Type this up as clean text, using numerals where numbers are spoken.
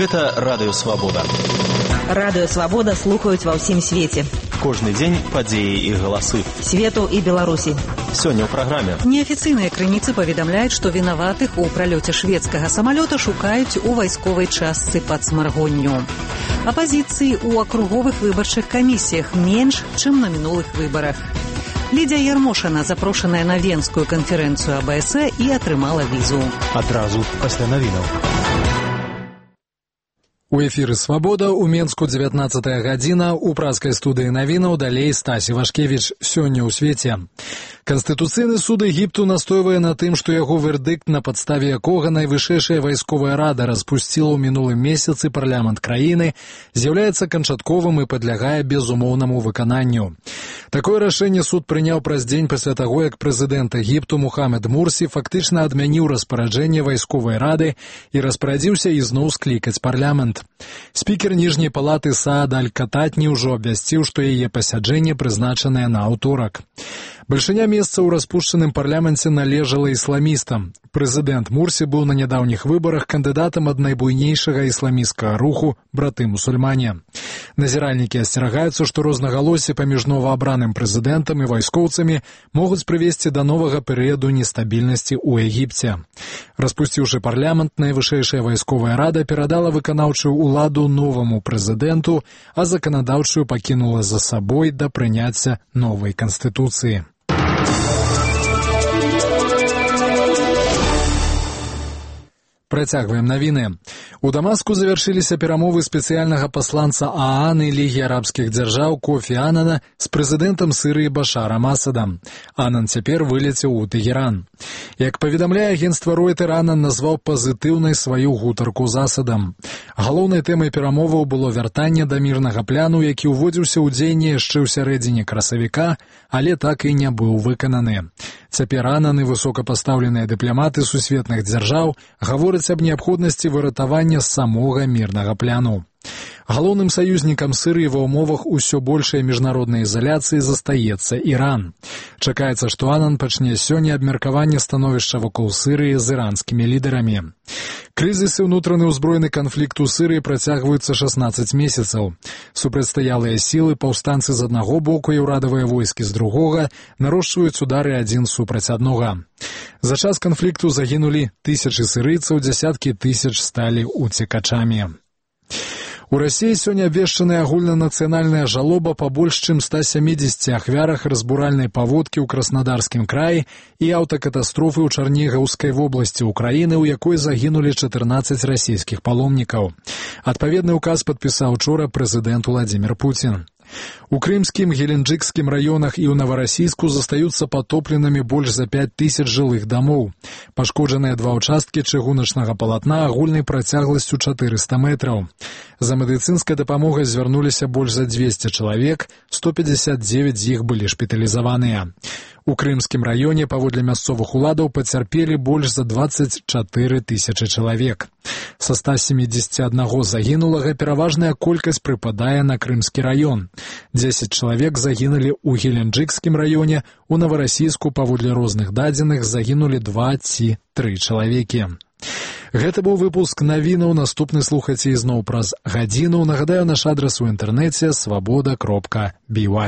Гэта Радыё Свабода. Радыё Свабода слухаюць ва ўсім свеце. Кожны дзень падзеі і галасы. Свету і Беларусі. Сёння ў праграме. Неафіцыйныя крыніцы паведамляюць, што вінаватых у пралёце шведскага самалёта шукаюць у вайсковай частцы пад Смаргонню. Апазіцыі ў акруговых выбарчых камісіях менш, чым на мінулых выбарах. Лідзія Ярмошина запрошаная на Венскую канферэнцыю АБС і атрымала візу. Адразу пасля навінаў. У эфіры «Свабода» у Менску 19-я гадзіна, у празкай студыі навінаў далей Стась Івашкевіч. Сёння ў свеце. Канстытуцыйны суд Егіпту настойвае на тым, што яго вердыкт, на падставе якога найвышэйшая вайсковая рада распусціла ў мінулым месяцы парламент краіны, з'яўляецца канчатковым і падлягае безумоўнаму выкананню. Такое рашэнне суд прыняў праз дзень пасля таго, як прэзідэнт Егіпту Мухаммед Мурсі фактычна адмяніў распараджэнне вайсковай рады і распарадзіўся ізноў склікаць парламент. Спікер ніжняй палаты Саад Аль-Кататні ўжо абвясціў, што яе пасяджэнне прызначанае на аўторак. Бальшыня месца ў распушчаным парламенце належала ісламістам. Прэзідэнт Мурсі быў на нядаўніх выбарах кандыдатам ад найбуйнейшага ісламісцкага руху «Браты-мусульмане». Назіральнікі асцерагаюцца, што рознагалоссі паміж новаабраным прэзідэнтам і вайскоўцамі могуць прывесці да новага перыяду нестабільнасці ў Егіпце. Распусціўшы парламент, найвышэйшая вайсковая рада перадала выканаўчую ўладу новаму прэзідэнту, а заканадаўчую пакінула за сабой да прыняцця новай канстытуцыі. Працягваем навіны. У Дамаску завяршыліся перамовы спецыяльнага пасланца ААН і Лігі арабскіх дзяржаў Кофі Анана з прэзідэнтам Сірыі Башарам Асадам. Анан цяпер вылецеў у Тэгеран. Як паведамляе агенцтва Ройтер, Анан назваў пазітыўнай сваю гутарку з Асадам. Галоўнай тэмай перамоваў было вяртанне да мірнага пляну, які ўводзіўся ў дзеянне яшчэ ў сярэдзіне красавіка, але так і не быў выкананы. Цяпер Анан і высокапастаўленыя дыпламаты сусветных дзяржаў гавораць аб неабходнасці выратавання самога мірнага пляну. Галоўным саюзнікам Сірыі ва ўмовах усё большай міжнароднай ізаляцыі застаецца Іран. Чакаецца, што Анан пачне сёння абмеркаванне становішча вакол Сірыі з іранскімі лідарамі. Крызіс і ўнутраны ўзброены канфлікт у Сірыі працягваюцца 16 месяцаў. Супрацьстаялыя сілы, паўстанцы з аднаго боку і ўрадавыя войскі з другога нарошчваюць удары адзін супраць аднога. За час канфлікту загінулі тысячы сірыйцаў, дзясяткі тысяч сталі уцекачамі. У Расіі сёння абвешчаная агульнанацыянальная жалоба па больш чым 170 ахвярах разбуральнай паводкі ў Краснодарскім краі і аўтакатастрофы ў Чарнігаўскай вобласці ўкраіны, у якой загінулі 14 расійскіх паломнікаў. Адпаведны ўказ падпісаў учора прэзідэнт Уладзімір Пуцін. У крымскім, геленджыкскім раёнах і ў Наварасійску застаюцца патопленымі больш за 5000 жылых дамоў. Пашкоджаныя 2 ўчасткі чыгуначнага палатна агульнай працягласцю 400 метраў. За медыцынскай дапамогай звярнуліся больш за 200 чалавек, 159 з іх былі шпіталізаваныя. У крымскім раёне, паводле мясцовых уладаў, пацярпелі больш за 24 тысячы чалавек. Са 171 загінулага пераважная колькасць прыпадае на крымскі раён. 10 чалавек загінулі ў Геленджыкскім раёне, у Наварасійску, паводле розных дадзеных, загінулі 2 ці 3 чалавекі. Гэта быў выпуск навінаў. Наступны слухайце ізноў праз гадзіну. Нагадаю, наш адрас у інтэрнэце свабода.by.